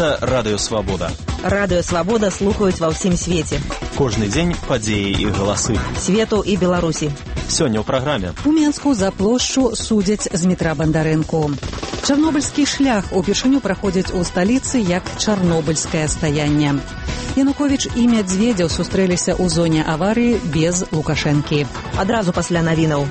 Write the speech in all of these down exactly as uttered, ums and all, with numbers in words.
Гэта Радыё Свабода. Радыё Свабода слухаюць ва ўсім свеце. Кожны дзень падзеі і галасы. Свету і Беларусі. Сёння ў праграме. У Менску за плошчу судзяць Змітра Бандарэнку. Чарнобыльскі шлях упершыню праходзіць у сталіцы як чарнобыльскае стаянне. Януковіч і Мядзведзеў сустрэліся ў зоне аварыі без Лукашэнкі. Адразу пасля навінаў.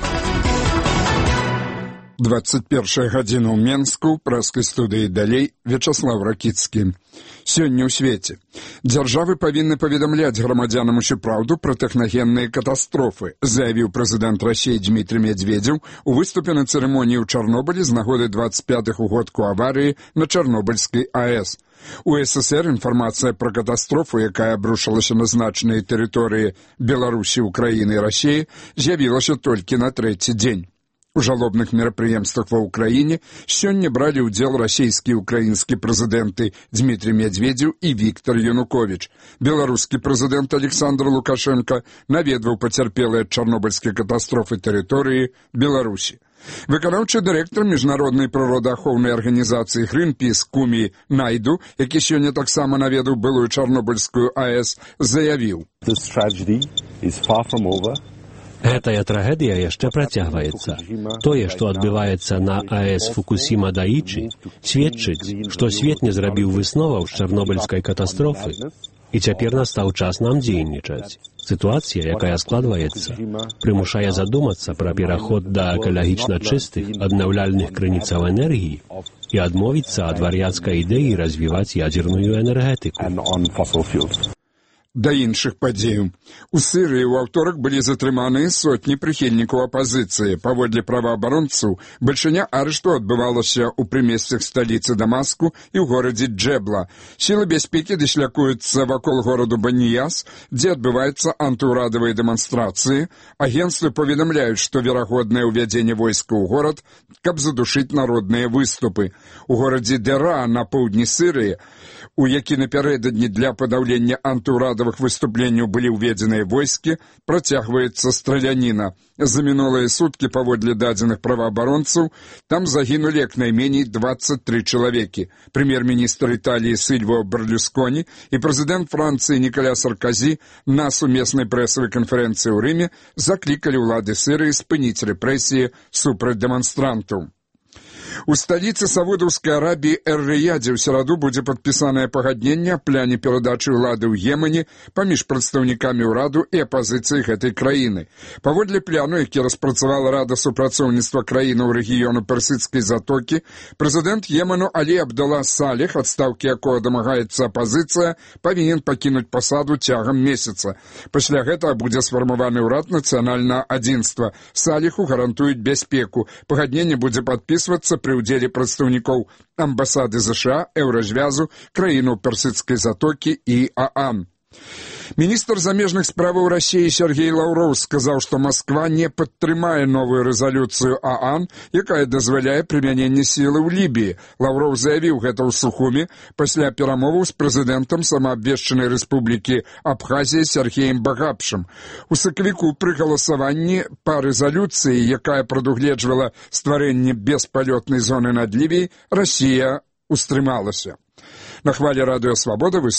двадцать першая гадзіна ў Менску, прэскай студыі далей Вячаслав Ракіцкі. Сёння ў свеце. Дзяржавы павінны паведамляць грамадзянам усю праўду пра тэхнагенныя катастрофы, заявіў прэзідэнт Расіі Дмітрый Мядзведзеў у выступе на цырымоніі ў Чарнобылі з нагоды двадцать пятых угодку аварыі на Чарнобыльскай АЭС. У СССР інфармацыя пра катастрофу, якая абрушылася на значныя тэрыторыі Беларусі, Украіны і Расіі, з'явілася толькі на трэці дзень. У жалобных мерапрыемствах ва ўкраіне сёння бралі ўдзел расійскі і украінскі прэзідэнты Дмітрый Мядзведзеў і Віктор Януковіч. Беларускі прэзідэнт Александр Лукашенко наведваў пацярпелыя ад чарнобыльскай катастрофы тэрыторыі Беларусі. Выканаўчы дырэктар міжнароднай прыродаахоўнай арганізацыі Greenpeace Кумі Найду, які сёння таксама наведаў былую чарнобыльскую АЭС, заявіў: Гэтая трагедыя яшчэ працягваецца. Тое, што адбываецца на АЭС Фукусіма-Даічы, сведчыць, што свет не зрабіў высноваў з чарнобыльскай катастрофы, і цяпер настаў час нам дзейнічаць. Сітуацыя, якая складваецца, прымушае задумацца пра пераход да экалагічна чыстых, аднаўляльных крыніцаў энергіі і адмовіцца ад вар'яцкай ідэі развіваць ядзерную энергетыку. Да іншых падзеяў. У Сірыі ў аўторак былі затрыманыя сотні прыхільнікаў апазіцыі. Паводле праваабаронцаў, бальшыня арышту адбывалася ў прымесцях сталіцы Дамаску і ў горадзе Джэбла. Сілы бяспекі дашлякуюцца вакол гораду Баніяс, дзе адбываюцца антыўрадавыя дэманстрацыі. Агенцтвы паведамляюць, што верагоднае ўвядзенне войска ў горад, каб задушыць народныя выступы. У горадзе Дера на поўдні Сірыі, у які напярэдадні для падаўлення антыўрадавых выступленняў былі ўведзеныя войскі, працягваецца страляніна. За мінулыя суткі, паводле дадзеных праваабаронцаў, там загінулі як найменей двадцать три чалавекі. Прэм'ер-міністр Італіі Сільвіо Берлусконі і прэзідэнт Францыі Нікаля Сарказі на сумеснай прэсавай канферэнцыі ў Рыме заклікалі ўлады Сірыі спыніць рэпрэсіі супраць дэманстрантаў. У сталіцы Саудаўскай Арабіі Эр-Рыядзе ў сераду будзе падпісанае пагадненне аб пляне перадачы ўлады ў Йемене паміж прадстаўнікамі ўраду і апазіцыяй гэтай краіны. Паводле пляну, які распрацавала Рада супрацоўніцтва краінаў рэгіёну Персідскай затокі, прэзідэнт Йемену Алі Абдалла Салех, адстаўкі якога дамагаецца апазіцыя, павінен пакінуць пасаду цягам месяца. Пасля гэтага будзе сфармаваны ўрад нацыянальнага адзінства. Салеху гарантуюць бяспеку. Пагадненне будзе падпісвацца пры ўдзеле прадстаўнікоў амбасады ЗША, Еўразвязу, краінаў Персідскай затокі і ААН. Міністр замежных справаў Расіі Сергей Лаўроў сказаў, што Масква не падтрымае новую рэзалюцыю ААН, якая дазваляе прымяненне сілы ў Лібіі. Лаўроў заявіў гэта ў Сухуме пасля перамоваў з прэзідэнтам самаабвешчанай рэспублікі Абхазія Сергеем Багапшым. У сакавіку пры галасаванні па рэзалюцыі, якая прадугледжвала стварэнне беспалётнай зоны над Лібіяй, Расія ўстрымалася. На хвалі Радыё Свабода вы